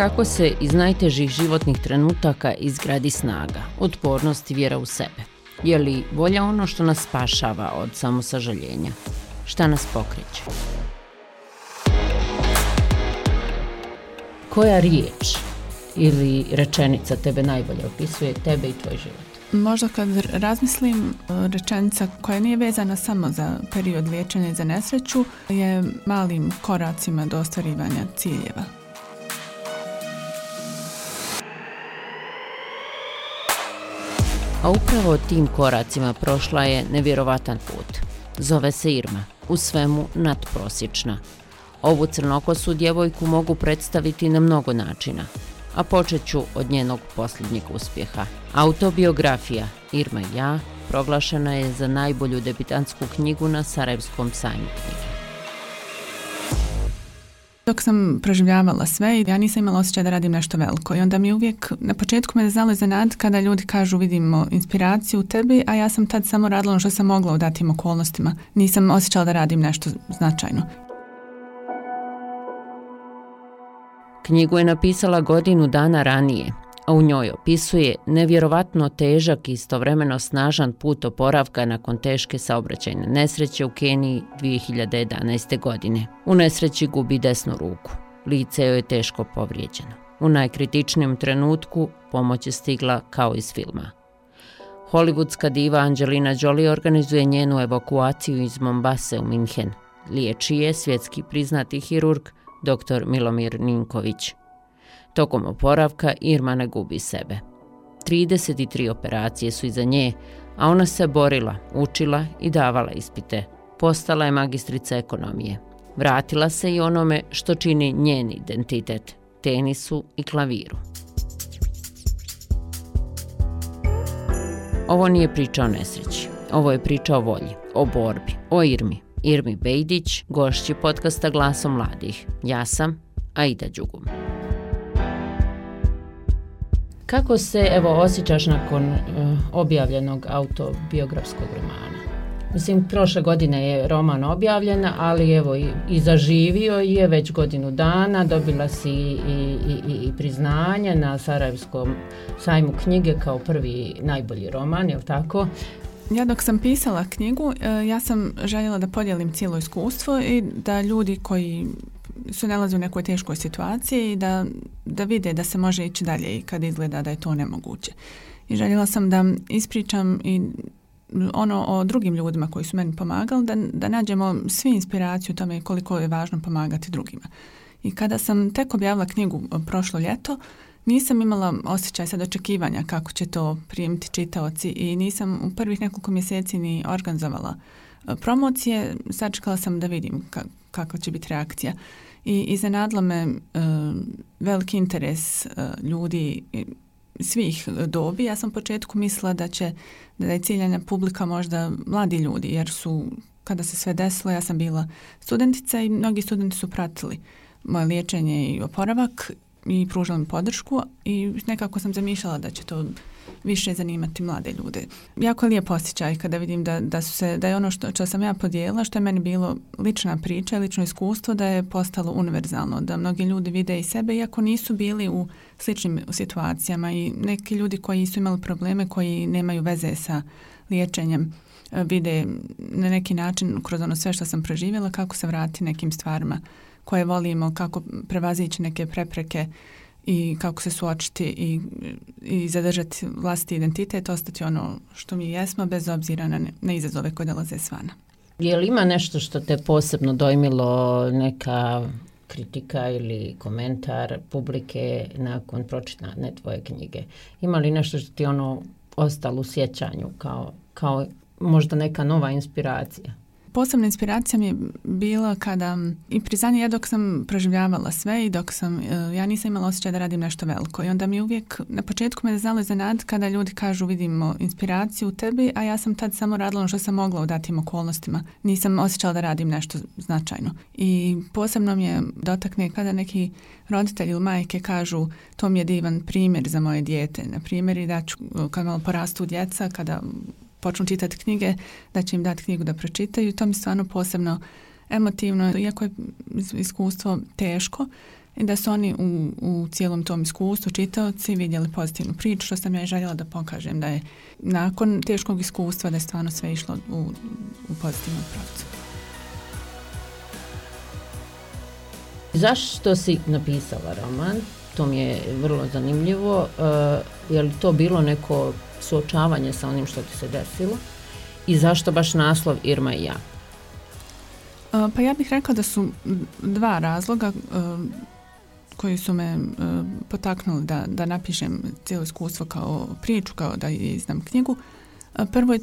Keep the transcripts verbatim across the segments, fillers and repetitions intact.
Kako se iz najtežih životnih trenutaka izgradi snaga, otpornost i vjera u sebe? Je li volja ono što nas spašava od samosažaljenja? Šta nas pokreće? Koja riječ ili rečenica tebe najbolje opisuje tebe i tvoj život? Možda kad razmislim, rečenica koja nije vezana samo za period liječenja i za nesreću je malim koracima do ostvarivanja ciljeva. A upravo tim koracima prošla je nevjerovatan put. Zove se Irma, u svemu nadprosječna. Ovu crnokosu djevojku mogu predstaviti na mnogo načina, a počet ću od njenog posljednjeg uspjeha. Autobiografija Irma i ja proglašena je za najbolju debitantsku knjigu na Sarajevskom sajmu knjige. Dok sam proživljavala sve, ja nisam imala osjećaj da radim nešto veliko i onda mi uvijek, na početku me znalo iznenaditi kada ljudi kažu vidimo inspiraciju u tebi, a ja sam tad samo radila ono što sam mogla u datim okolnostima. Nisam osjećala da radim nešto značajno. Knjigu je napisala godinu dana ranije, a u njoj opisuje nevjerovatno težak i istovremeno snažan put oporavka nakon teške saobraćajne nesreće u Keniji dvije hiljade jedanaeste. godine. U nesreći gubi desnu ruku. Lice joj je teško povrijeđeno. U najkritičnijem trenutku pomoć je stigla kao iz filma. Hollywoodska diva Angelina Jolie organizuje njenu evakuaciju iz Mombase u Minhen. Liječi je svjetski priznati hirurg doktor Milomir Ninković. Tokom oporavka Irma ne gubi sebe. trideset tri operacije su iza nje, a ona se borila, učila i davala ispite. Postala je magistrica ekonomije. Vratila se i onome što čini njen identitet, tenisu i klaviru. Ovo nije priča o nesreći. Ovo je priča o volji, o borbi, o Irmi. Irmi Bejdić, gošći podcasta Glasom mladih. Ja sam Aida Đugum. Kako se evo osjećaš nakon uh, objavljenog autobiografskog romana? Mislim, prošle godine je roman objavljen, ali evo i, i zaživio je već godinu dana, dobila si i, i, i priznanje na Sarajevskom sajmu knjige kao prvi najbolji roman, je li tako? Ja dok sam pisala knjigu, ja sam željela da podijelim cijelo iskustvo i da ljudi koji su nalaze u nekoj teškoj situaciji da, da vide da se može ići dalje i kad izgleda da je to nemoguće. I željela sam da ispričam i ono o drugim ljudima koji su meni pomagali, da, da nađemo svi inspiraciju u tome koliko je važno pomagati drugima. I kada sam tek objavila knjigu prošlo ljeto, nisam imala osjećaj sad očekivanja kako će to primiti čitaoci i nisam u prvih nekoliko mjeseci ni organizovala promocije. Sačekala sam da vidim ka, kakva će biti reakcija. I iznenadilo me uh, veliki interes uh, ljudi svih dobi. Ja sam u početku mislila da će da je ciljana publika možda mladi ljudi, jer su, kada se sve desilo, ja sam bila studentica i mnogi studenti su pratili moje liječenje i oporavak i pružila mi podršku i nekako sam zamišljala da će to više zanimati mlade ljude. Jako je lijep osjećaj kada vidim da, da, su se, da je ono što, što sam ja podijelila, što je meni bilo lična priča, lično iskustvo, da je postalo univerzalno, da mnogi ljudi vide i sebe, iako nisu bili u sličnim situacijama i neki ljudi koji su imali probleme, koji nemaju veze sa liječenjem, vide na neki način kroz ono sve što sam proživjela kako se vrati nekim stvarima koje volimo, kako prevazići neke prepreke i kako se suočiti i, i zadržati vlastiti identitet, ostati ono što mi jesmo bez obzira na, ne, na izazove koje dolaze svana. Je li ima nešto što te posebno dojmilo, neka kritika ili komentar publike nakon pročitane tvoje knjige? Ima li nešto što ti ono ostalo u sjećanju kao, kao možda neka nova inspiracija? Posebna inspiracija mi je bila kada i priznanje, ja dok sam proživljavala sve i dok sam, ja nisam imala osjećaj da radim nešto veliko i onda mi uvijek, na početku me znalo iznenaditi kada ljudi kažu vidimo inspiraciju u tebi, a ja sam tad samo radila ono što sam mogla u datim okolnostima. Nisam osjećala da radim nešto značajno. I posebno mi je dotakne kada neki roditelji ili majke kažu to mi je divan primjer za moje dijete. Na primjer i da ću, kad malo porastu djeca, kada počnu čitati knjige, da će im dati knjigu da pročitaju. To mi stvarno posebno emotivno, iako je iskustvo teško, i da su oni u, u cijelom tom iskustvu čitaoci vidjeli pozitivnu priču, što sam ja i željela da pokažem da je nakon teškog iskustva da je stvarno sve išlo u, u pozitivnom pravcu. Zašto si napisala roman? To mi je vrlo zanimljivo. Uh, je li to bilo neko suočavanje sa onim što ti se desilo? I zašto baš naslov Irma i ja? Uh, pa ja bih rekla da su dva razloga uh, koji su me uh, potaknuli da, da napišem cijelo iskustvo kao priču, kao da izdam knjigu. Uh, prvo je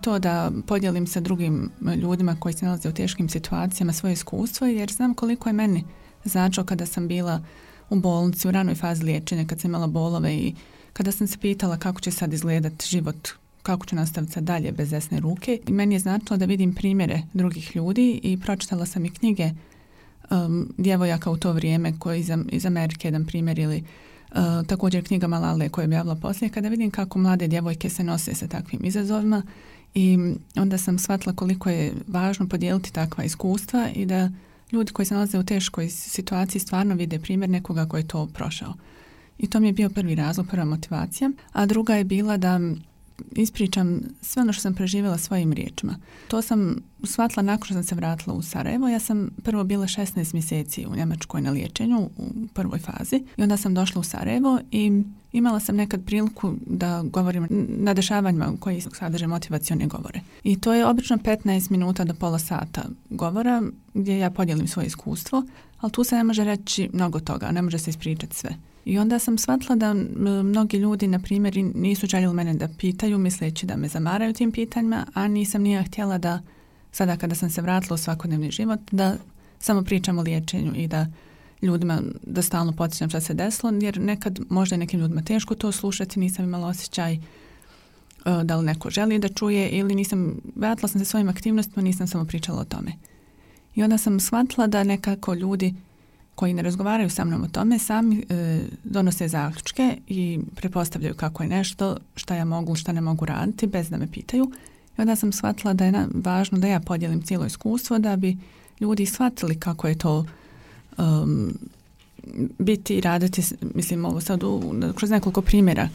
to da podijelim sa drugim ljudima koji se nalaze u teškim situacijama svoje iskustvo, jer znam koliko je meni značilo kada sam bila u bolnici, u ranoj fazi liječenja, kad sam imala bolove i kada sam se pitala kako će sad izgledati život, kako ću nastaviti sad dalje bez desne ruke. I meni je značilo da vidim primjere drugih ljudi i pročitala sam i knjige um, djevojaka u to vrijeme koji iz, iz Amerike, jedan primjer, ili uh, također knjiga Malale koju je objavila poslije, kada vidim kako mlade djevojke se nose sa takvim izazovima i onda sam shvatila koliko je važno podijeliti takva iskustva i da ljudi koji se nalaze u teškoj situaciji stvarno vide primjer nekoga koji je to prošao. I to mi je bio prvi razlog, prva motivacija. A druga je bila da ispričam sve ono što sam preživjela svojim riječima. To sam shvatila nakon što sam se vratila u Sarajevo. Ja sam prvo bila šesnaest mjeseci u Njemačkoj na liječenju u prvoj fazi i onda sam došla u Sarajevo i imala sam nekad priliku da govorim na dešavanjima koji sadrže motivacione govore. I to je obično petnaest minuta do pola sata govora gdje ja podijelim svoje iskustvo, ali tu se ne može reći mnogo toga, ne može se ispričati sve. I onda sam shvatila da mnogi ljudi, na primjer, nisu željeli mene da pitaju, misleći da me zamaraju tim pitanjima, a nisam nije htjela da, sada kada sam se vratila u svakodnevni život, da samo pričam o liječenju i da ljudima, da stalno podsjećam šta se desilo, jer nekad možda je nekim ljudima teško to slušati, nisam imala osjećaj uh, da li neko želi da čuje ili nisam, vratila sam se svojim aktivnostima, nisam samo pričala o tome. I onda sam shvatila da nekako ljudi koji ne razgovaraju sa mnom o tome sami e, donose zaključke i pretpostavljaju kako je nešto, šta ja mogu, šta ne mogu raditi bez da me pitaju. I onda sam shvatila da je na, važno da ja podijelim cijelo iskustvo da bi ljudi shvatili kako je to um, biti i raditi, mislim ovo sad u, kroz nekoliko primjera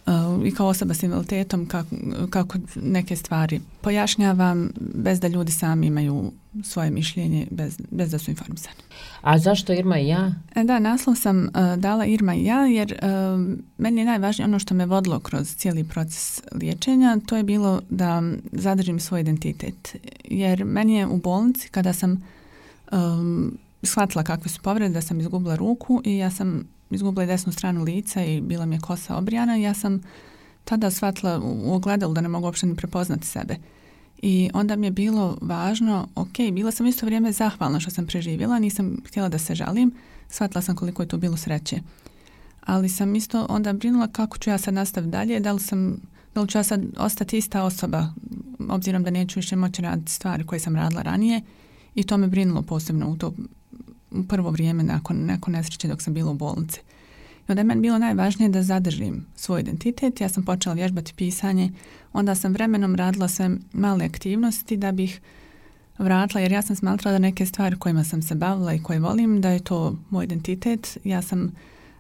uh, i kao osoba s invaliditetom kako, kako neke stvari pojašnjavam bez da ljudi sami imaju svoje mišljenje, bez, bez da su informisani. A zašto Irma i ja? E da, naslov sam uh, dala Irma i ja jer uh, meni je najvažnije ono što me vodilo kroz cijeli proces liječenja, to je bilo da zadržim svoj identitet. Jer meni je u bolnici kada sam um, shvatila kakve su povrede, da sam izgubila ruku i ja sam izgubila desnu stranu lica i bila mi je kosa obrijana, ja sam tada shvatila u ogledalu da ne mogu uopšte ni prepoznati sebe. I onda mi je bilo važno, ok, bila sam isto vrijeme zahvalna što sam preživjela, nisam htjela da se žalim, shvatila sam koliko je to bilo sreće. Ali sam isto onda brinula kako ću ja sad nastaviti dalje, da li, sam, da li ću ja sad ostati ista osoba, obzirom da neću više moći raditi stvari koje sam radila ranije i to me brinulo posebno u to u prvo vrijeme nakon, nakon nesreće dok sam bila u bolnici. I onda je meni bilo najvažnije da zadržim svoj identitet. Ja sam počela vježbati pisanje, onda sam vremenom radila sve male aktivnosti da bih vratila, jer ja sam smatrala da neke stvari kojima sam se bavila i koje volim, da je to moj identitet. Ja sam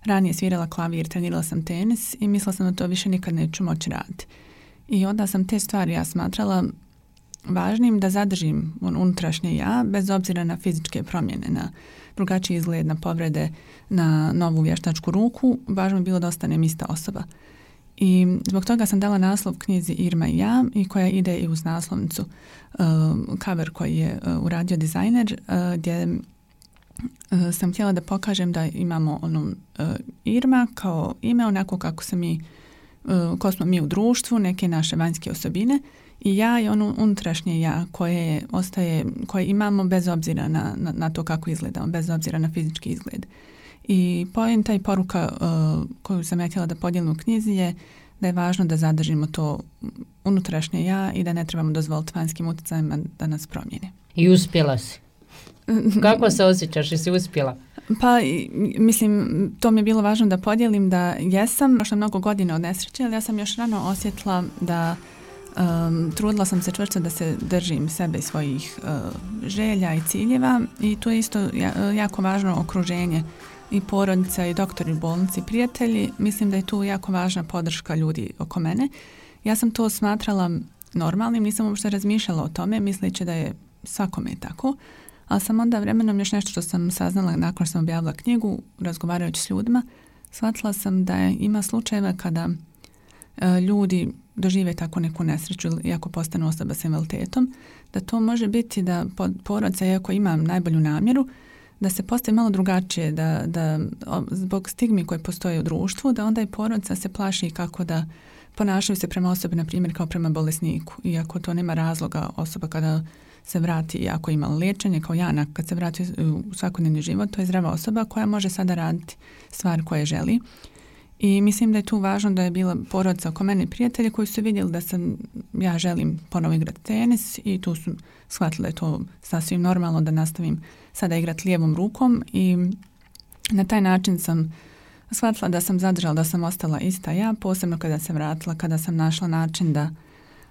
ranije svirala klavir, trenirala sam tenis i mislila sam da to više nikad neću moći raditi. I onda sam te stvari ja smatrala važnim da zadržim unutrašnje ja, bez obzira na fizičke promjene, na drugačiji izgled, na povrede, na novu vještačku ruku, važno je bilo da ostanem ista osoba. I zbog toga sam dala naslov knjizi Irma i ja i koja ide i uz naslovnicu uh, cover koji je uh, uradio dizajner uh, gdje uh, sam htjela da pokažem da imamo ono, uh, Irma kao ime, onako kako se mi, uh, ko smo mi u društvu, neke naše vanjske osobine i ja i ono unutrašnje ja koje ostaje, koje imamo bez obzira na, na, na to kako izgledamo, bez obzira na fizički izgled. I poenta i poruka uh, koju sam ja htjela da podijelim u knjizi je da je važno da zadržimo to unutrašnje ja i da ne trebamo dozvoliti vanjskim utjecajima da nas promijene. I uspjela si. Kako se osjećaš? Jesi uspjela? Pa, mislim, to mi je bilo važno da podijelim da jesam. Prošlo mnogo godina od nesreće, ali ja sam još rano osjetila da Um, trudila sam se čvrsto da se držim sebe i svojih uh, želja i ciljeva i to je isto jako važno okruženje i porodica i doktori u bolnici, prijatelji. Mislim da je tu jako važna podrška ljudi oko mene. Ja sam to smatrala normalnim, nisam uopšte razmišljala o tome, misleći da je svakome tako, ali sam onda vremenom još nešto što sam saznala nakon što sam objavila knjigu, razgovarajući s ljudima, shvatila sam da je, ima slučajeva kada e, ljudi dožive tako neku nesreću ili ako postanu osoba s invaliditetom, da to može biti da porodica, iako ima najbolju namjeru, da se postavi malo drugačije, da, da zbog stigmi koje postoje u društvu, da onda i porodica se plaši kako da ponašaju se prema osobi, na primjer, kao prema bolesniku. Iako to nema razloga, osoba kada se vrati, ako ima liječenje, kao Jana, kad se vrati u svakodnevni život, to je zdrava osoba koja može sada raditi stvari koje želi. I mislim da je tu važno da je bila porodica oko mene i prijatelji koji su vidjeli da sam, ja želim ponovo igrati tenis i tu su shvatili da je to sasvim normalno da nastavim sada igrati lijevom rukom i na taj način sam shvatila da sam zadržala, da sam ostala ista ja, posebno kada se vratila, kada sam našla način da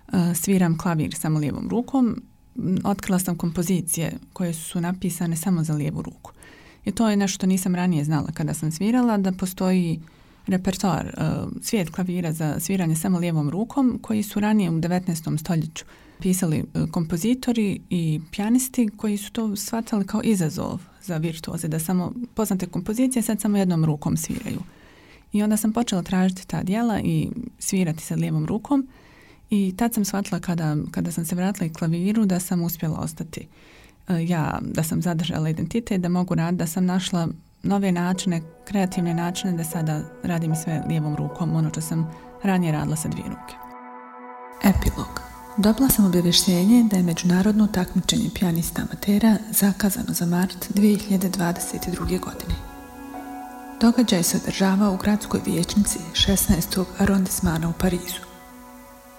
uh, sviram klavir samo lijevom rukom. Otkrila sam kompozicije koje su napisane samo za lijevu ruku. I to je nešto što nisam ranije znala kada sam svirala, da postoji repertoar, uh, svijet klavira za sviranje samo lijevom rukom, koji su ranije u devetnaestom stoljeću pisali uh, kompozitori i pijanisti koji su to shvatali kao izazov za virtuoze, da samo poznate kompozicije sad samo jednom rukom sviraju. I onda sam počela tražiti ta djela i svirati sa lijevom rukom i tad sam shvatila kada, kada sam se vratila i klaviru da sam uspjela ostati uh, ja, da sam zadržala identitet, da mogu raditi, da sam našla nove načine, kreativne načine da sada radim sve lijevom rukom, ono što sam ranije radila sa dvije ruke. Epilog. Dobila sam obavještenje da je međunarodno takmičenje pijanista amatera zakazano za mart dvije hiljade dvadeset druge. godine. Događaj se održava u gradskoj vijećnici šesnaestog arondismana u Parizu.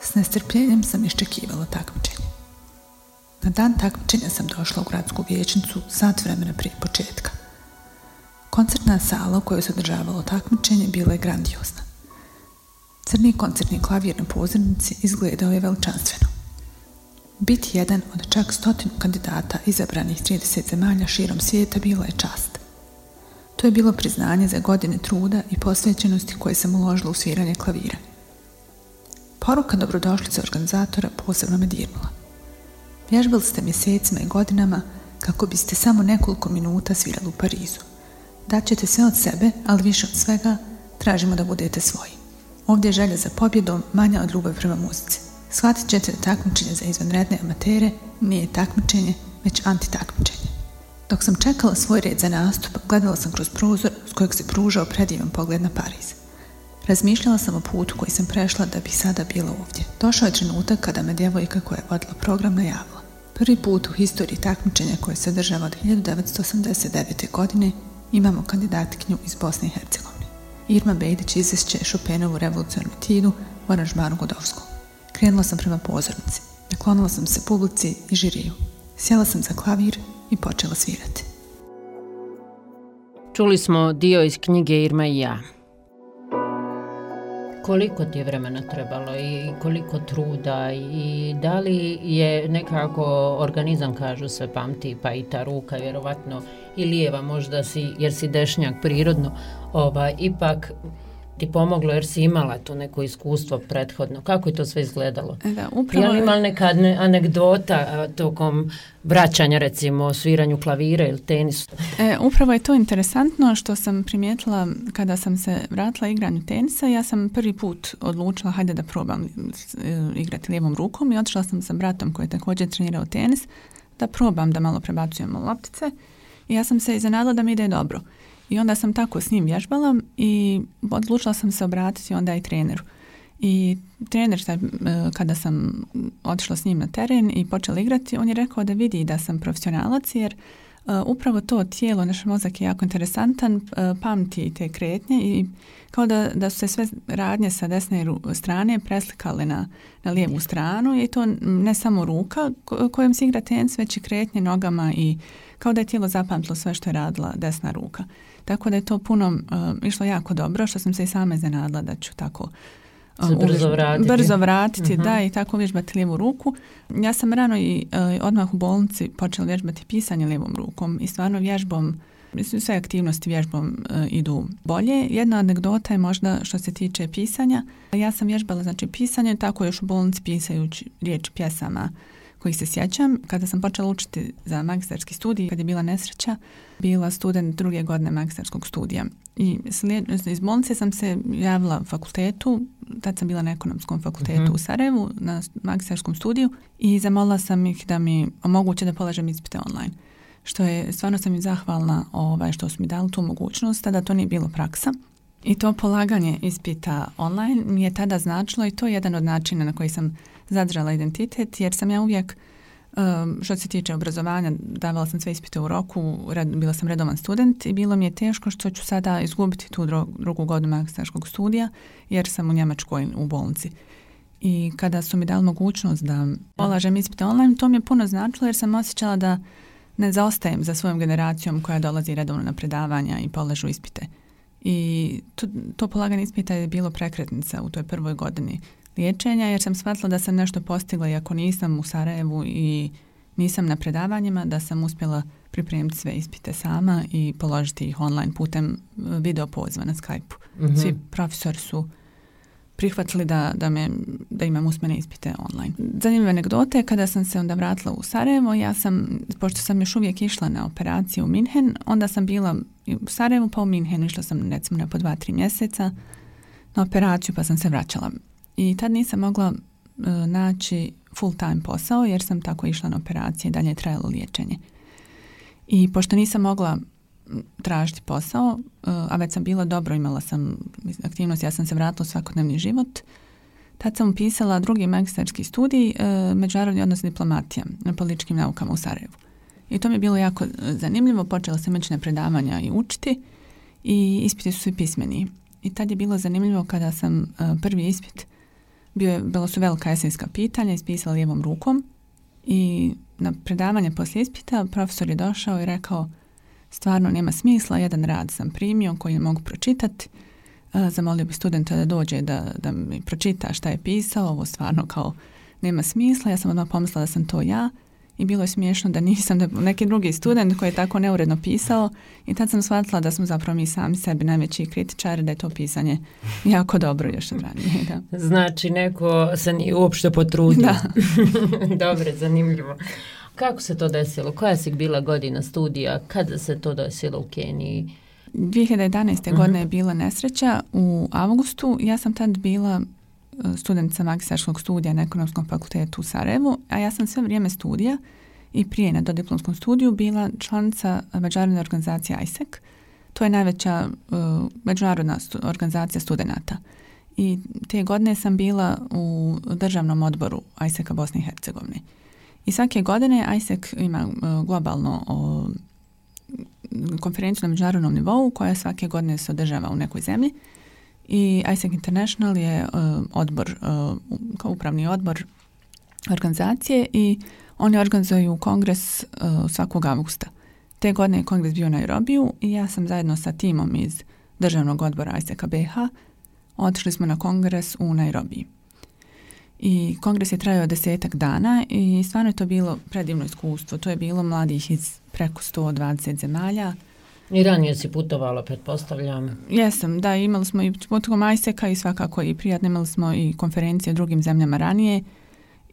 S nestrpljenjem sam iščekivala takmičenje. Na dan takmičenja sam došla u gradsku vijećnicu sat vremena prije početka. Koncertna sala u kojoj se održavalo takmičenje bila je grandiozna. Crni koncertni klavir na pozornici izgledao je veličanstveno. Biti jedan od čak stotinu kandidata izabranih trideset zemalja širom svijeta bila je čast. To je bilo priznanje za godine truda i posvećenosti koje sam uložila u sviranje klavira. Poruka dobrodošlice organizatora posebno me dirnula. Vježbali ste mjesecima i godinama kako biste samo nekoliko minuta svirali u Parizu. Daćete sve od sebe, ali više od svega tražimo da budete svoji. Ovdje je želja za pobjedom manja od ljubavi prema muzici. Shvatit ćete da takmičenje za izvanredne amatere nije takmičenje, već antitakmičenje. Dok sam čekala svoj red za nastup, gledala sam kroz prozor s kojeg se pružao predivan pogled na Pariz. Razmišljala sam o putu koji sam prešla da bi sada bila ovdje. Došao je trenutak kada me djevojka koja je vodila program najavila. Prvi put u historiji takmičenja koje se održava od hiljadu devetsto osamdeset devete. godine imamo kandidatkinju iz Bosne i Hercegovine. Irma Bejdić izvešće Chopinovu revolucionarnu etidu u aranžmanu Godovskog. Krenula sam prema pozornici, naklonila sam se publici i žiriju. Sjela sam za klavir i počela svirati. Čuli smo dio iz knjige Irma i ja. Koliko ti je vremena trebalo i koliko truda i da li je nekako organizam, kažu se, pamti, pa i ta ruka vjerovatno i lijeva možda si, jer si dešnjak prirodno, ovaj, ipak ti pomoglo jer si imala to neko iskustvo prethodno. Kako je to sve izgledalo? Da, upravo... Je li imala neka anegdota tokom vraćanja, recimo, o sviranju klavira ili tenisu? E, upravo je to interesantno što sam primijetila kada sam se vratila igranju tenisa. Ja sam prvi put odlučila, hajde da probam igrati lijevom rukom i otišla sam sa bratom koji je također trenirao tenis da probam da malo prebacujemo loptice i ja sam se iznenadila da mi ide dobro. I onda sam tako s njim vježbala i odlučila sam se obratiti onda i treneru. I trener, kada sam otišla s njim na teren i počela igrati, on je rekao da vidi da sam profesionalac jer uh, upravo to tijelo, naš mozak je jako interesantan, uh, pamti te kretnje i kao da, da su se sve radnje sa desne strane preslikale na, na lijevu stranu i to ne samo ruka kojom se igra tenis, već i kretnje nogama i kao da je tijelo zapamtilo sve što je radila desna ruka. Tako da je to puno uh, išlo jako dobro, što sam se i sama iznenadila da ću tako Se brzo vratiti. Brzo vratiti, uh-huh. da, i tako vježbati lijevu ruku. Ja sam rano i uh, odmah u bolnici počela vježbati pisanje lijevom rukom i stvarno vježbom, mislim, sve aktivnosti vježbom uh, idu bolje. Jedna anegdota je možda što se tiče pisanja. Ja sam vježbala, znači, pisanje, tako još u bolnici pisajući riječi pjesama kojih se sjećam. Kada sam počela učiti za magistarski studij, kad je bila nesreća, bila student druge godine magistarskog studija. I slijed, iz bolnice sam se javila fakultetu, tad sam bila na ekonomskom fakultetu uh-huh. u Sarajevu, na magistarskom studiju, i zamolila sam ih da mi omoguće da polažem ispite online. Što je, stvarno sam im zahvalna ovaj, što su mi dali tu mogućnost, tada to nije bilo praksa. I to polaganje ispita online mi je tada značilo, i to je jedan od načina na koji sam zadržala identitet, jer sam ja uvijek, um, što se tiče obrazovanja, davala sam sve ispite u roku, red, bila sam redovan student i bilo mi je teško što ću sada izgubiti tu dru, drugu godinu magistarskog studija, jer sam u Njemačkoj u bolnici. I kada su mi dali mogućnost da polažem ispite online, to mi je puno značilo, jer sam osjećala da ne zaostajem za svojom generacijom koja dolazi redovno na predavanja i polažu ispite. I to, to polaganje ispita je bilo prekretnica u toj prvoj godini liječenja, jer sam shvatila da sam nešto postigla, i ako nisam u Sarajevu i nisam na predavanjima, da sam uspjela pripremiti sve ispite sama i položiti ih online putem video poziva na Skype-u. Mm-hmm. Svi profesori su prihvatili da, da, me, da imam usmene ispite online. Zanimljiva anegdota je, kada sam se onda vratila u Sarajevo, ja sam, pošto sam još uvijek išla na operaciju u Minhen, onda sam bila u Sarajevu pa u Minhenu, išla sam recimo na po dva, tri mjeseca na operaciju, pa sam se vraćala. I tad nisam mogla uh, naći full time posao, jer sam tako išla na operacije i dalje je trajalo liječenje. I pošto nisam mogla tražiti posao, uh, a već sam bila dobro, imala sam aktivnost, ja sam se vratila u svakodnevni život, tad sam upisala drugi magistarski studij, uh, međunarodni odnos diplomatija na političkim naukama u Sarajevu. I to mi je bilo jako zanimljivo, počela sam ići na predavanja i učiti, i ispiti su svi pismeni. I tad je bilo zanimljivo kada sam uh, prvi ispit, bio je, bilo su velika esenska pitanja, ispisala lijevom rukom, i na predavanje poslije ispita profesor je došao i rekao: stvarno nema smisla, jedan rad sam primio koji ne mogu pročitati, uh, zamolio bi studenta da dođe da, da mi pročita šta je pisao, ovo stvarno kao nema smisla. Ja sam odmah pomislila da sam to ja, i bilo je smiješno da nisam, da neki drugi student koji je tako neuredno pisao, i tad sam shvatila da smo zapravo mi sami sebi najveći kritičari, da je to pisanje jako dobro još od ranije. Da. Znači, neko se nije uopšte potrudio. Da. Dobre, zanimljivo. Kako se to desilo? Koja si bila godina studija? Kada se to desilo u Keniji? dvije hiljade jedanaeste. Uh-huh. godine je bila nesreća u avgustu. Ja sam tad bila studentica magistarskog studija na ekonomskom fakultetu u Sarajevu, a ja sam sve vrijeme studija i prije na dodiplomskom studiju bila članica međunarodne organizacije I S E C. To je najveća uh, međunarodna stu- organizacija studenata. I te godine sam bila u državnom odboru I S E C-a Bosne i Hercegovine. I svake godine I S E C ima uh, globalno uh, konferenciju na međunarodnom nivou, koja svake godine se održava u nekoj zemlji. I I S E C International je uh, odbor, uh, kao upravni odbor organizacije, i oni organizuju kongres uh, svakog avgusta. Te godine je kongres bio u Nairobiju, i ja sam zajedno sa timom iz državnog odbora I S E C-a B H otišli smo na kongres u Nairobiji. I kongres je trajao desetak dana i stvarno je to bilo predivno iskustvo. To je bilo mladih iz preko sto dvadeset zemalja. I ranije si putovala, pretpostavljam. Jesam, da, imali smo i potom I S E C-a i svakako i prijatno, imali smo i konferencije u drugim zemljama ranije,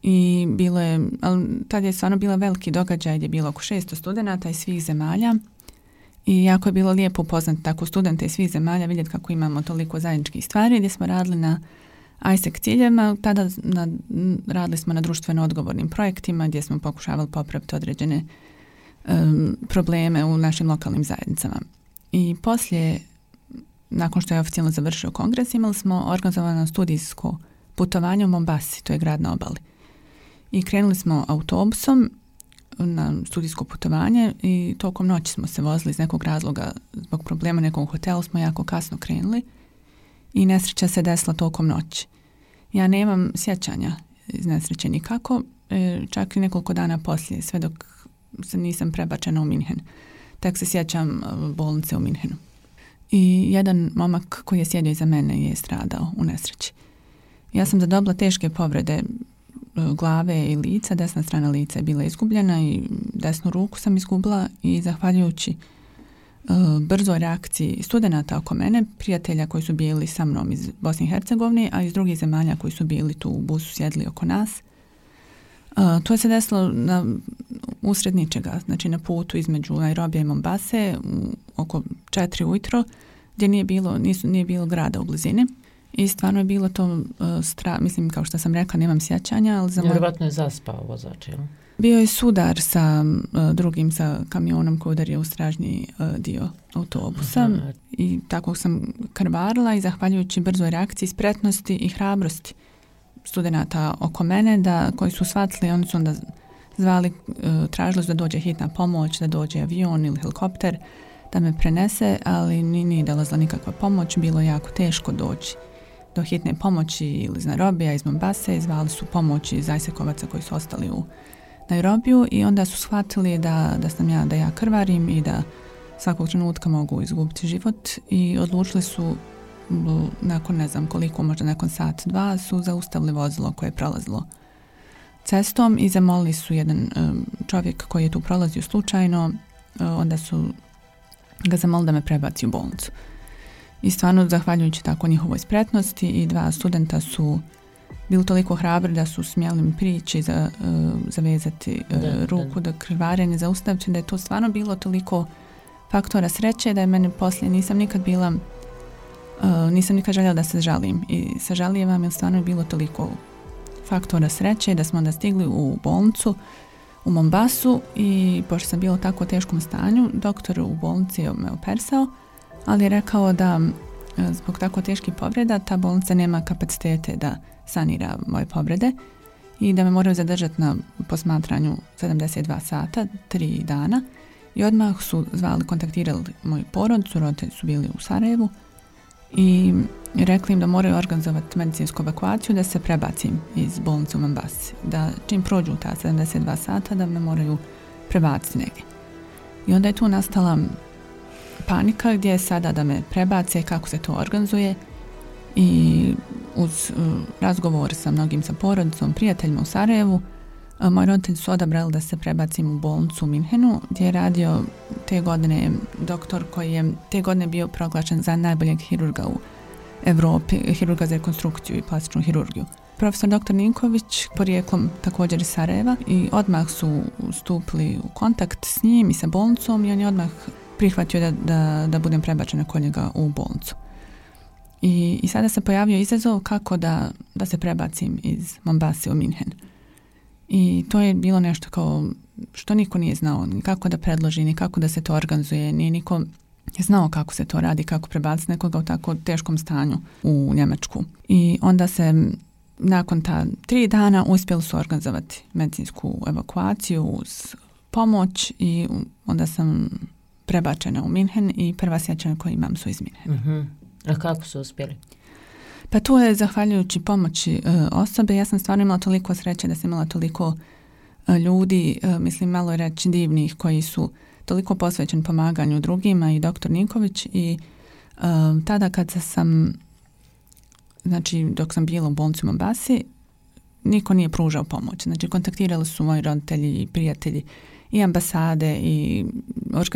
i bilo je, ali tad je stvarno bila veliki događaj gdje je bilo oko šesto studenata iz svih zemalja, i jako je bilo lijepo upoznati tako studente iz svih zemalja, vidjeti kako imamo toliko zajedničkih stvari, gdje smo radili na I S E C ciljevima. Tada na, radili smo na društveno odgovornim projektima gdje smo pokušavali popraviti određene um, probleme u našim lokalnim zajednicama. I poslije, nakon što je oficijalno završio kongres, imali smo organizovano studijsko putovanje u Mombasi, to je grad na obali. I krenuli smo autobusom na studijsko putovanje i tokom noći smo se vozili iz nekog razloga, zbog problema nekog hotela smo jako kasno krenuli i nesreća se desila tokom noći. Ja nemam sjećanja iz nesreće nikako, čak i nekoliko dana poslije, sve dok se nisam prebačena u Minhen. Tek se sjećam bolnice u Minhenu. I jedan momak koji je sjedio iza mene je stradao u nesreći. Ja sam zadobila teške povrede glave i lica, desna strana lica je bila izgubljena i desnu ruku sam izgubila i zahvaljujući uh, brzoj reakciji studenata oko mene, prijatelja koji su bili sa mnom iz Bosne i Hercegovine, a iz drugih zemalja koji su bili tu u busu sjedli oko nas. Uh, to se desilo na usred ničega, znači na putu između Nairobija i Mombase u, oko četiri ujutro, gdje nije bilo, nisu, nije bilo grada u blizini. I stvarno je bilo to uh, stra, mislim, kao što sam rekla, nemam sjećanja, ali za moj... Vjerovatno je zaspao vozač, jel? Bio je sudar sa uh, drugim, sa kamionom koji udario u stražnji uh, dio autobusa. Aha. I tako sam krvarila i zahvaljujući brzoj reakciji, spretnosti i hrabrosti studenata oko mene, da, koji su shvatili, oni su onda zvali, uh, tražili su da dođe hitna pomoć, da dođe avion ili helikopter, da me prenese, ali nije dolazila nikakva pomoć, bilo je jako teško doći do hitne pomoći ili iz Nairobija, iz Mombase, zvali su pomoć iz Ajsekovaca koji su ostali u Nairobiju i onda su shvatili da, da sam ja, da ja krvarim i da svakog trenutka mogu izgubiti život i odlučili su nakon ne znam koliko, možda nakon sat, dva, su zaustavili vozilo koje je prolazilo cestom i zamolili su jedan um, čovjek koji je tu prolazio slučajno, uh, onda su ga zamolili da me prebaci u bolnicu. I stvarno, zahvaljujući tako njihovoj spretnosti, i dva studenta su bili toliko hrabri da su smjeli mi prići, za, uh, zavezati uh, da, ruku, da, da krvarenje zaustaviti, da je to stvarno bilo toliko faktora sreće da je mene poslije, nisam nikad bila, uh, nisam nikad željela da se žalim. I sažalijevam jer stvarno je bilo toliko faktora sreće da smo onda stigli u bolnicu u Mombasu i pošto sam bila u tako teškom stanju, doktor u bolnici je me operisao, ali je rekao da zbog tako teških povreda ta bolnica nema kapacitete da sanira moje povrede i da me moraju zadržati na posmatranju sedamdeset dva sata, tri dana i odmah su zvali, kontaktirali moju porodicu, roditelji su bili u Sarajevu i rekli im da moraju organizovati medicinsku evakuaciju da se prebacim iz bolnice u Mombasi, da čim prođu ta sedamdeset dva sata da me moraju prebaciti negdje. I onda je tu nastala panika gdje je sada da me prebace, kako se to organizuje i uz uh, razgovor sa mnogim, sa porodicom, prijateljima u Sarajevu, uh, moji roditelji su odabrali da se prebacim u bolnicu u Minhenu gdje je radio te godine doktor koji je te godine bio proglašen za najboljeg hirurga u Evropi, hirurga za rekonstrukciju i plastičnu hirurgiju. Profesor doktor Ninković, porijeklom također iz Sarajeva, i odmah su stupili u kontakt s njim i sa bolnicom i on je odmah prihvatio da, da, da budem prebačena kod njega u bolnicu. I, i sada se pojavio izazov kako da, da se prebacim iz Mombase u Minhen. I to je bilo nešto kao što niko nije znao, ni kako da predloži, ni kako da se to organizuje, nije niko znao kako se to radi, kako prebaciti nekoga u tako teškom stanju u Njemačku. I onda se nakon ta tri dana uspjeli su organizovati medicinsku evakuaciju uz pomoć i onda sam prebačena u Minhen i prva sjećanja koje imam su iz Minhena. Uh-huh. A kako su uspjeli? Pa tu je zahvaljujući pomoći uh, osobe. Ja sam stvarno imala toliko sreće da sam imala toliko uh, ljudi, uh, mislim malo reći divnih, koji su toliko posvećeni pomaganju drugima i doktor Ninković i uh, tada kad sam, znači dok sam bila u bolnici u Mombasi, niko nije pružao pomoć. Znači kontaktirali su moji roditelji i prijatelji i ambasade i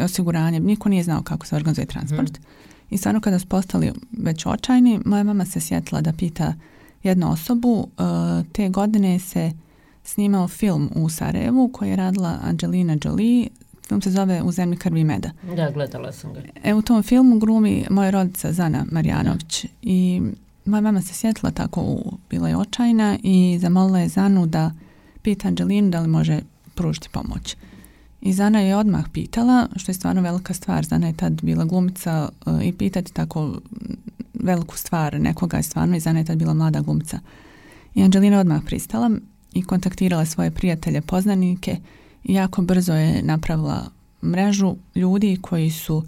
osiguranje, niko nije znao kako se organizuje transport. Hmm. I stvarno kada su postali već očajni, moja mama se sjetila da pita jednu osobu. Uh, te godine se snimao film u Sarajevu koji je radila Angelina Jolie. Film se zove U zemlji krvi i meda. Da, gledala sam ga. E, u tom filmu glumi moja rodica Zana Marjanović. I moja mama se sjetila tako, u, bila je očajna i zamolila je Zanu da pita Angelinu da li može pružiti pomoć. I Zana je odmah pitala, što je stvarno velika stvar. Zana je tad bila glumica uh, i pitati tako veliku stvar nekoga je stvarno, i Zana je tad bila mlada glumica. I Angelina odmah pristala i kontaktirala svoje prijatelje, poznanike i jako brzo je napravila mrežu ljudi koji su uh,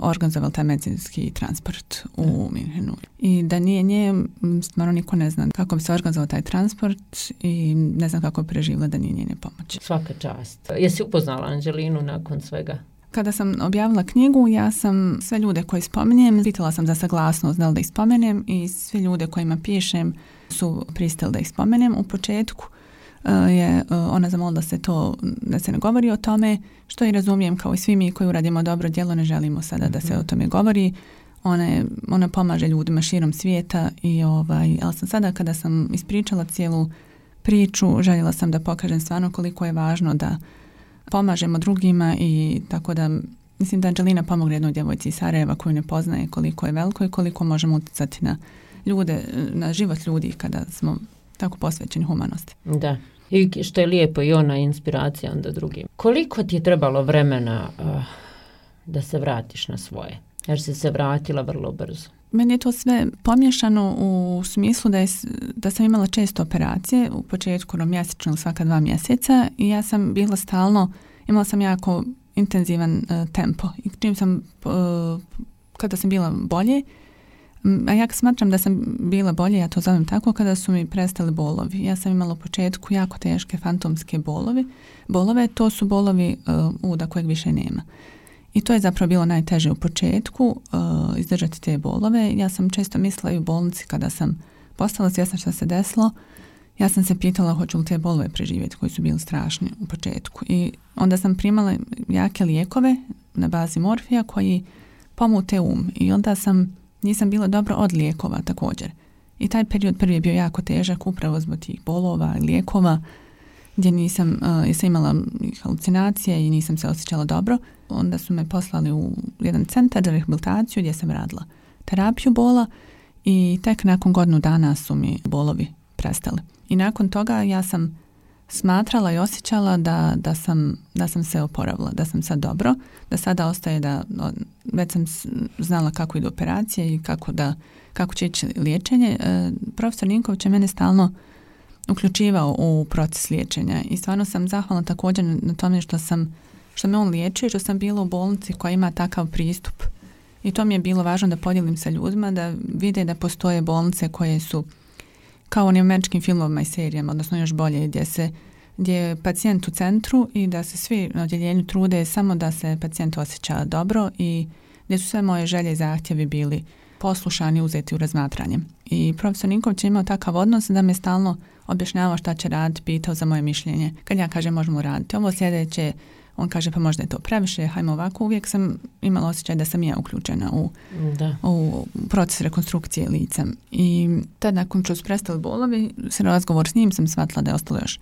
organizovali taj medicinski transport u Minhenu. I da nije nje, stvarno niko ne zna kako bi se organizovao taj transport i ne znam kako bi preživjela da nije njene pomoći. Svaka čast. Jesi upoznala Angelinu nakon svega? Kada sam objavila knjigu, ja sam sve ljude koje spominjem, pitala sam za saglasnost da li da ih spomenem i sve ljude kojima pišem su pristali da ih spomenem. U početku je ona zamolila da se to, da se ne govori o tome, što i razumijem, kao i svi mi koji uradimo dobro djelo, ne želimo sada mm-hmm. da se o tome govori. Ona, je, ona pomaže ljudima širom svijeta i ovaj, ali sam sada kada sam ispričala cijelu priču, željela sam da pokažem stvarno koliko je važno da pomažemo drugima i tako da mislim da Anđelina pomogne jednoj djevojci iz Sarajeva koju ne poznaje, koliko je veliko i koliko možemo utjecati na ljude, na život ljudi kada smo tako posvećeni humanosti. Da. I što je lijepo i ona inspiracija onda drugim. Koliko ti je trebalo vremena uh, da se vratiš na svoje? Jer si se vratila vrlo brzo. Meni je to sve pomiješano u smislu da, je, da sam imala često operacije, u početku mjesečno svaka dva mjeseca i ja sam bila stalno, imala sam jako intenzivan uh, tempo i čim sam, uh, kada sam bila bolje, a ja smatram da sam bila bolje, ja to zovem tako, kada su mi prestali bolovi. Ja sam imala u početku jako teške fantomske bolovi. Bolove, to su bolovi uh, uda kojeg više nema. I to je zapravo bilo najteže u početku, uh, izdržati te bolove. Ja sam često mislila i u bolnici kada sam postala svjesna što se desilo, ja sam se pitala hoću li te bolove preživjeti koji su bili strašni u početku. I onda sam primala jake lijekove na bazi morfija koji pomute um. I onda sam, nisam bila dobro od lijekova također. I taj period prvi je bio jako težak upravo zbog tih bolova i lijekova gdje nisam, uh, jesam imala halucinacije i nisam se osjećala dobro. Onda su me poslali u jedan centar za rehabilitaciju gdje sam radila terapiju bola i tek nakon godinu dana su mi bolovi prestali. I nakon toga ja sam smatrala i osjećala da, da, sam, da sam se oporavila, da sam sad dobro, da sada ostaje da, već sam znala kako idu operacije i kako, da, kako će ići liječenje. E, profesor Ninković je mene stalno uključivao u proces liječenja i stvarno sam zahvalna također na tome što sam što me on liječi, što sam bila u bolnici koja ima takav pristup. I to mi je bilo važno da podijelim sa ljudima, da vide da postoje bolnice koje su kao onim američkim filmovima i serijama, odnosno još bolje, gdje, se, gdje je pacijent u centru i da se svi na odjeljenju trude samo da se pacijent osjeća dobro i gdje su sve moje želje i zahtjevi bili poslušani, uzeti u razmatranje. I profesor Ninković je imao takav odnos da me stalno objašnjavao šta će raditi, pitao za moje mišljenje. Kad ja kažem možemo raditi ovo sljedeće, on kaže pa možda je to previše, hajmo ovako. Uvijek sam imala osjećaj da sam ja uključena u, u proces rekonstrukcije lica. I tad nakon što su prestali bolovi, s razgovor s njim sam shvatila da je ostalo još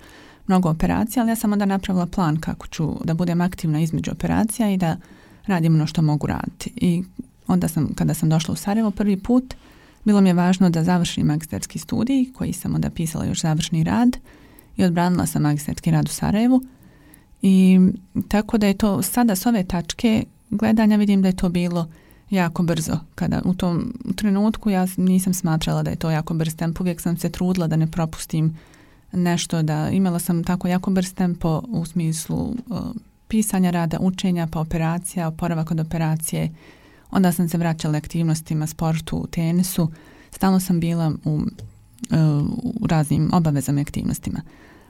mnogo operacija, ali ja sam onda napravila plan kako ću da budem aktivna između operacija i da radim ono što mogu raditi. I onda sam, kada sam došla u Sarajevo prvi put, bilo mi je važno da završim magistarski studij, koji sam onda pisala još završni rad i odbranila sam magistarski rad u Sarajevu. I tako da je to sada s ove tačke gledanja vidim da je to bilo jako brzo. Kada u tom trenutku ja nisam smatrala da je to jako brz tempo, uvijek sam se trudila da ne propustim nešto, da imala sam tako jako brz tempo u smislu uh, pisanja rada, učenja, pa operacija, oporavak od operacije. Onda sam se vraćala aktivnostima, sportu, tenisu. Stalno sam bila u, uh, u raznim obavezama i aktivnostima.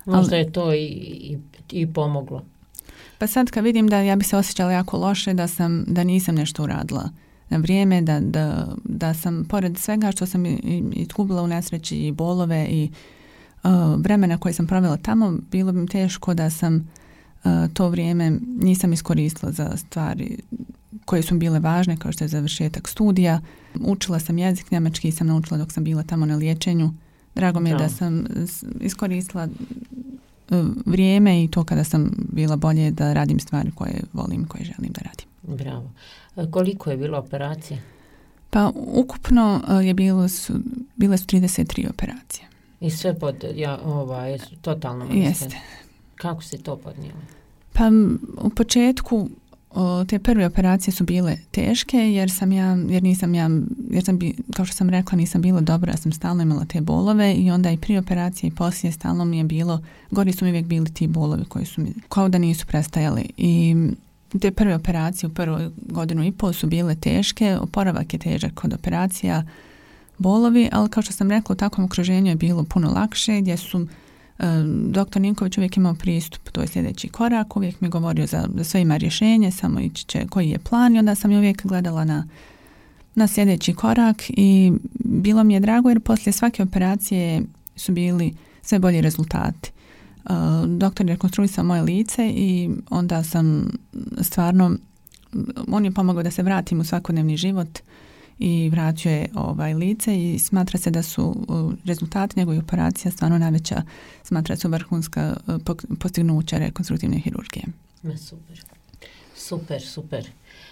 Možda je to i, i, i pomoglo. Pa sad kad vidim da ja bi se osjećala jako loše, da, sam, da nisam nešto uradila na vrijeme, da, da, da sam pored svega što sam izgubila u nesreći i bolove i uh, vremena koje sam provela tamo, bilo bi mi teško da sam uh, to vrijeme nisam iskoristila za stvari koje su bile važne, kao što je završetak studija. Učila sam jezik, njemački sam naučila dok sam bila tamo na liječenju. Drago mi je da sam iskoristila vrijeme i to kada sam bila bolje da radim stvari koje volim, koje želim da radim. Bravo. Koliko je bilo operacije? Pa ukupno je bilo su, bile su trideset tri operacije. I sve pod, ja, ovaj, totalno jeste. Kako si to podnijela? Pa u početku o, te prve operacije su bile teške jer sam ja, jer nisam ja, jer sam bi, kao što sam rekla nisam bila dobra, ja sam stalno imala te bolove i onda i prije operacije i poslije stalno mi je bilo, gori su mi uvijek bili ti bolovi koji su mi, kao da nisu prestajali i te prve operacije u prvoj godinu i pol su bile teške, oporavak je težak kod operacija, bolovi, ali kao što sam rekla u takvom okruženju je bilo puno lakše gdje su doktor Ninković uvijek imao pristup, to je sljedeći korak, uvijek mi govorio za, za sve ima rješenje, samo ići će koji je plan i onda sam uvijek gledala na, na sljedeći korak i bilo mi je drago jer poslije svake operacije su bili sve bolji rezultati. Uh, doktor je rekonstruisao moje lice i onda sam stvarno, on je pomogao da se vratim u svakodnevni život i vratio je ovaj lice i smatra se da su uh, rezultati njegove operacija stvarno najveća, smatra se vrhunska uh, postignuća rekonstruktivne hirurgije. Super, super, super.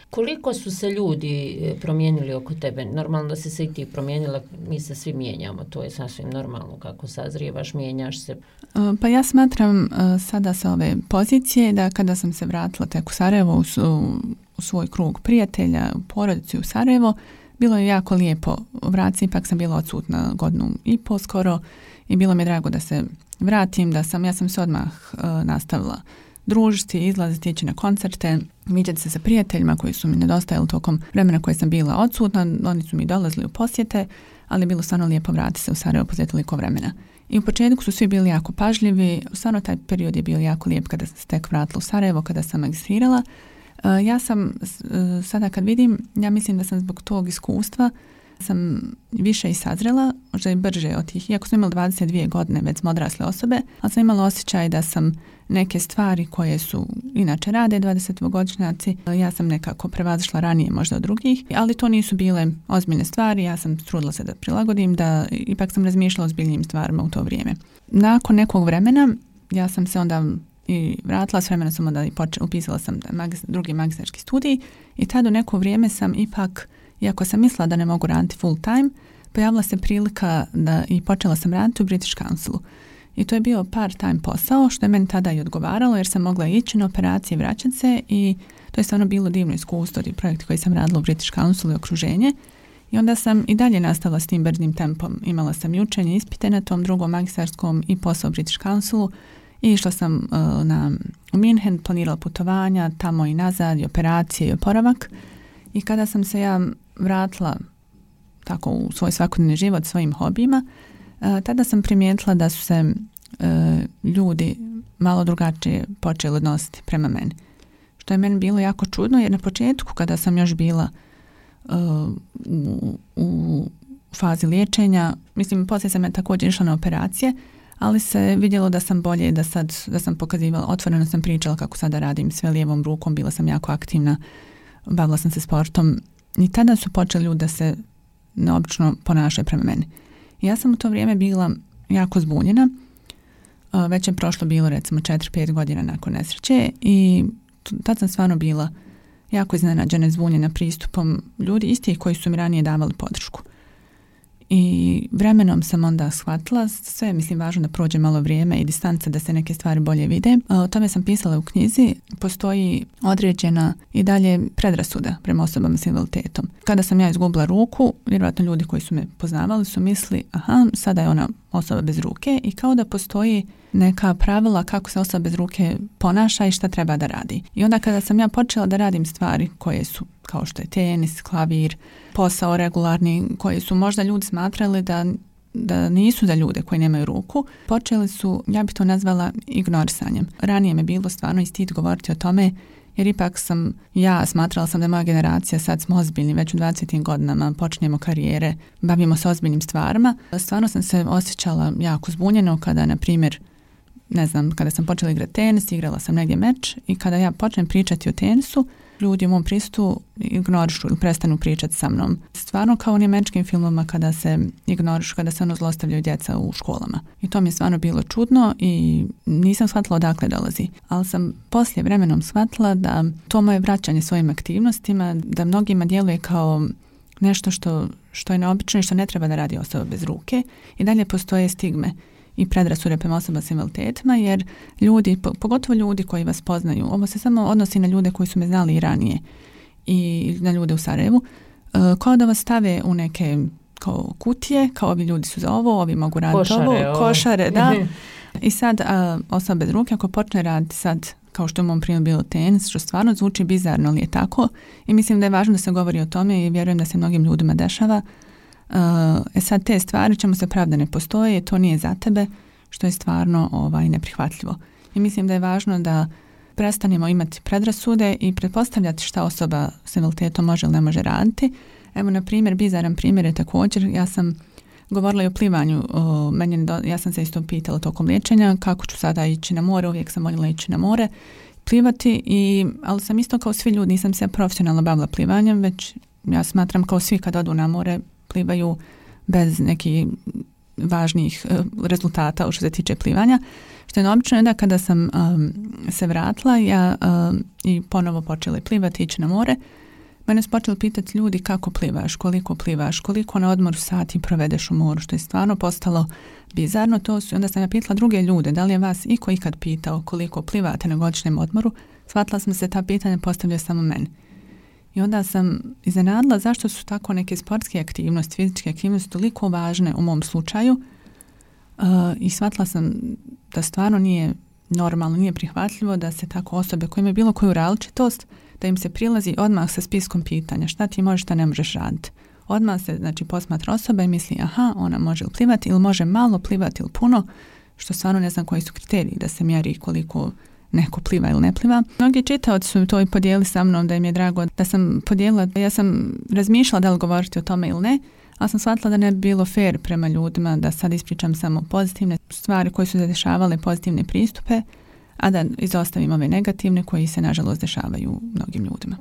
Koliko su se ljudi promijenili oko tebe? Normalno da si se i ti promijenila, mi se svi mijenjamo, to je sasvim normalno kako sazrijevaš, mijenjaš se. Pa ja smatram sada sa ove pozicije da kada sam se vratila tek u Sarajevo, u, u svoj krug prijatelja, u porodici u Sarajevo, bilo je jako lijepo vratiti, ipak sam bila odsutna godinu i po skoro i bilo mi je drago da se vratim, da sam, ja sam se odmah uh, nastavila družiti, izlaziti, ići na koncerte, viđati se sa prijateljima koji su mi nedostajali tokom vremena koje sam bila odsutna. Oni su mi dolazili u posjete, ali je bilo stvarno lijepo vratiti se u Sarajevo poslije toliko vremena. I u početku su svi bili jako pažljivi, stvarno taj period je bio jako lijep kada sam se tek vratila u Sarajevo, kada sam magistrirala. Uh, ja sam, uh, sada kad vidim, ja mislim da sam zbog tog iskustva sam više i sazrela, možda i brže od tih, iako sam imala dvadeset dvije godine, već smo odrasle osobe, ali sam imala osjećaj da sam neke stvari koje su inače rade dvadesetogodišnjaci, ja sam nekako prevazišla ranije možda od drugih, ali to nisu bile ozbiljne stvari, ja sam trudila se da prilagodim, da ipak sam razmišljala o ozbiljnim stvarima u to vrijeme. Nakon nekog vremena ja sam se onda i vratila, s vremena sam onda i počela, upisala sam magist, drugi magistarski studij i tada u neko vrijeme sam ipak, iako sam mislila da ne mogu raditi full time, pojavila se prilika da i počela sam raditi u British Councilu. I to je bio part-time posao, što je meni tada i odgovaralo, jer sam mogla ići na operacije i vraćati se i to je stvarno bilo divno iskustvo i projekti koji sam radila u British Councilu i okruženje. I onda sam i dalje nastavila s tim brzim tempom. Imala sam i učenje, ispite na tom drugom magistarskom i posao u British Councilu i išla sam uh, na, u Minhen, planirala putovanja, tamo i nazad, i operacije i oporavak. I kada sam se ja vratila tako u svoj svakodnevni život svojim hobijima, Uh, tada sam primijetila da su se uh, ljudi malo drugačije počeli odnositi prema meni. Što je meni bilo jako čudno, jer na početku kada sam još bila uh, u, u fazi liječenja, mislim poslije sam ja također išla na operacije, ali se vidjelo da sam bolje, da sad da sam pokazivala, otvoreno sam pričala kako sada radim sve lijevom rukom, bila sam jako aktivna, bavila sam se sportom i tada su počeli ljudi da se neobično ponašaju prema meni. Ja sam u to vrijeme bila jako zbunjena, već je prošlo bilo recimo četiri pet godina nakon nesreće i tad sam stvarno bila jako iznenađena, zbunjena pristupom ljudi istih koji su mi ranije davali podršku. I vremenom sam onda shvatila, sve je mislim važno da prođe malo vrijeme i distanca da se neke stvari bolje vide. O tome sam pisala u knjizi, postoji određena i dalje predrasuda prema osobama s invaliditetom. Kada sam ja izgubila ruku, vjerojatno ljudi koji su me poznavali su misli, aha, sada je ona osoba bez ruke i kao da postoji neka pravila kako se osoba bez ruke ponaša i šta treba da radi. I onda kada sam ja počela da radim stvari koje su kao što je tenis, klavir, posao regularni, koji su možda ljudi smatrali da, da nisu za ljude koji nemaju ruku, počeli su, ja bih to nazvala ignorisanjem. Ranije me bilo stvarno i stid govoriti o tome, jer ipak sam, ja smatrala sam da je moja generacija, sad smo ozbiljni, već u dvadesetim godinama počinjemo karijere, bavimo se ozbiljnim stvarima. Stvarno sam se osjećala jako zbunjeno kada, na primjer, ne znam, kada sam počela igrati tenis, igrala sam negdje meč i kada ja počnem pričati o tenisu, ljudi u mom pristupu ignorišu ili prestanu pričati sa mnom. Stvarno kao u onim američkim filmama kada se ignorišu, kada se ono zlostavljaju djeca u školama. I to mi je stvarno bilo čudno i nisam shvatila odakle dolazi. Ali sam poslije vremenom shvatila da to moje vraćanje svojim aktivnostima, da mnogima djeluje kao nešto što, što je neobično i što ne treba da radi osoba bez ruke. I dalje postoje stigme i predrasude prema osoba s invaliditetima, jer ljudi, pogotovo ljudi koji vas poznaju, ovo se samo odnosi na ljude koji su me znali i ranije i na ljude u Sarajevu, kao da vas stave u neke kao kutije, kao ovi ljudi su za ovo, ovi mogu raditi košare, ovo, ovo, košare, da. I sad a, osoba bez ruke ako počne raditi sad, kao što u mom primjeru bilo tenis, što stvarno zvuči bizarno, ali je tako, i mislim da je važno da se govori o tome i vjerujem da se mnogim ljudima dešava. Uh, e sad te stvari ćemo se pravda ne postoje, to nije za tebe, što je stvarno ovaj, neprihvatljivo. I mislim da je važno da prestanemo imati predrasude i pretpostavljati šta osoba s invaliditetom može ili ne može raditi, Evo, na primjer, bizaran primjer je također, ja sam govorila i o plivanju, o, meni, ja sam se isto pitala tokom liječenja kako ću sada ići na more, uvijek sam voljela ići na more, plivati, i, ali sam isto kao svi ljudi, nisam se profesionalno bavila plivanjem, već ja smatram kao svi kad odu na more, plivaju bez nekih važnijih uh, rezultata što se tiče plivanja. Što je neobično je da kada sam um, se vratila ja um, i ponovo počela plivati, ići na more, mene su počeli pitati ljudi kako plivaš, koliko plivaš, koliko na odmoru sati provedeš u moru, što je stvarno postalo bizarno. To su, onda sam ja pitala druge ljude, da li je vas iko ikad pitao koliko plivate na godišnjem odmoru. Shvatila sam se ta pitanja postavljaju samo meni. I onda sam iznenadila zašto su tako neke sportske aktivnosti, fizičke aktivnosti toliko važne u mom slučaju, uh, i shvatila sam da stvarno nije normalno, nije prihvatljivo da se tako osobe koje imaju bilo koju različitost, da im se prilazi odmah sa spiskom pitanja šta ti možeš, šta ne možeš raditi. Odmah se, znači, posmatra osoba i misli aha, ona može li plivati ili može malo plivati ili puno, što stvarno ne znam koji su kriteriji da se mjeri koliko neko pliva ili ne pliva. Mnogi čitaoci su to i podijeli sa mnom, da im je drago da sam podijelila. Ja sam razmišljala da li govoriti o tome ili ne, ali sam shvatila da ne bi bilo fair prema ljudima da sad ispričam samo pozitivne stvari koje su se dešavale, pozitivne pristupe, a da izostavim ove negativne koji se nažalost dešavaju mnogim ljudima.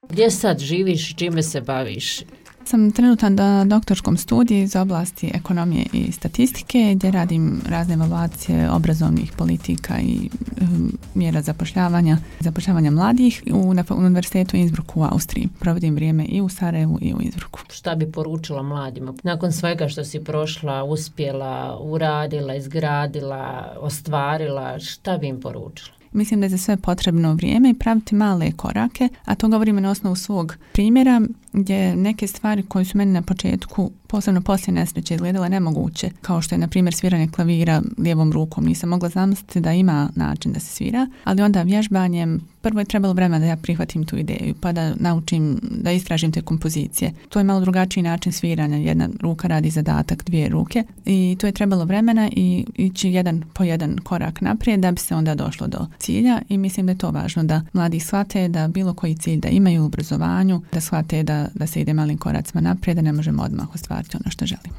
Gdje sad živiš, čime se baviš? Sam trenutno na doktorskom studiju iz oblasti ekonomije i statistike, gdje radim razne evaluacije obrazovnih politika i um, mjera zapošljavanja, zapošljavanja mladih u, na Univerzitetu Innsbrucku u Austriji. Provodim vrijeme i u Sarajevu i u Innsbrucku. Šta bi poručila mladima? Nakon svega što si prošla, uspjela, uradila, izgradila, ostvarila, šta bi im poručila? Mislim da je za sve potrebno vrijeme i praviti male korake, a to govorimo na osnovu svog primjera, gdje neke stvari koje su meni na početku, posebno poslije nesreće, izgledale nemoguće, kao što je na primjer sviranje klavira lijevom rukom. Nisam mogla zamisliti da ima način da se svira, ali onda vježbanjem prvo je trebalo vremena da ja prihvatim tu ideju, pa da naučim, da istražim te kompozicije. To je malo drugačiji način sviranja, jedna ruka radi zadatak, dvije ruke, i to je trebalo vremena i ići jedan po jedan korak naprijed da bi se onda došlo do cilja, i mislim da je to važno da mladi shvate da bilo koji cilj da imaju u obrazovanju, da shvate da, da se ide malim koracima naprijed, da ne možemo odmah ostvariti ono što želimo.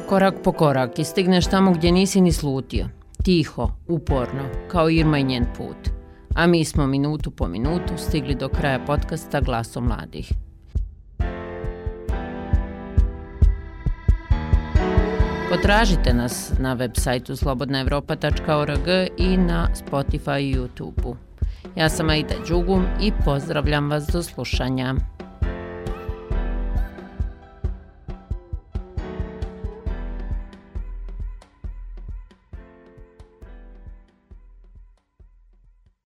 Korak po korak i stigneš tamo gdje nisi ni slutio. Tiho, uporno, kao Irma i njen put. A mi smo minutu po minutu stigli do kraja podcasta Glasom mladih. Potražite nas na web sajtu slobodna europa tačka org i na Spotify i YouTube-u. Ja sam Aida Đugum i pozdravljam vas do slušanja.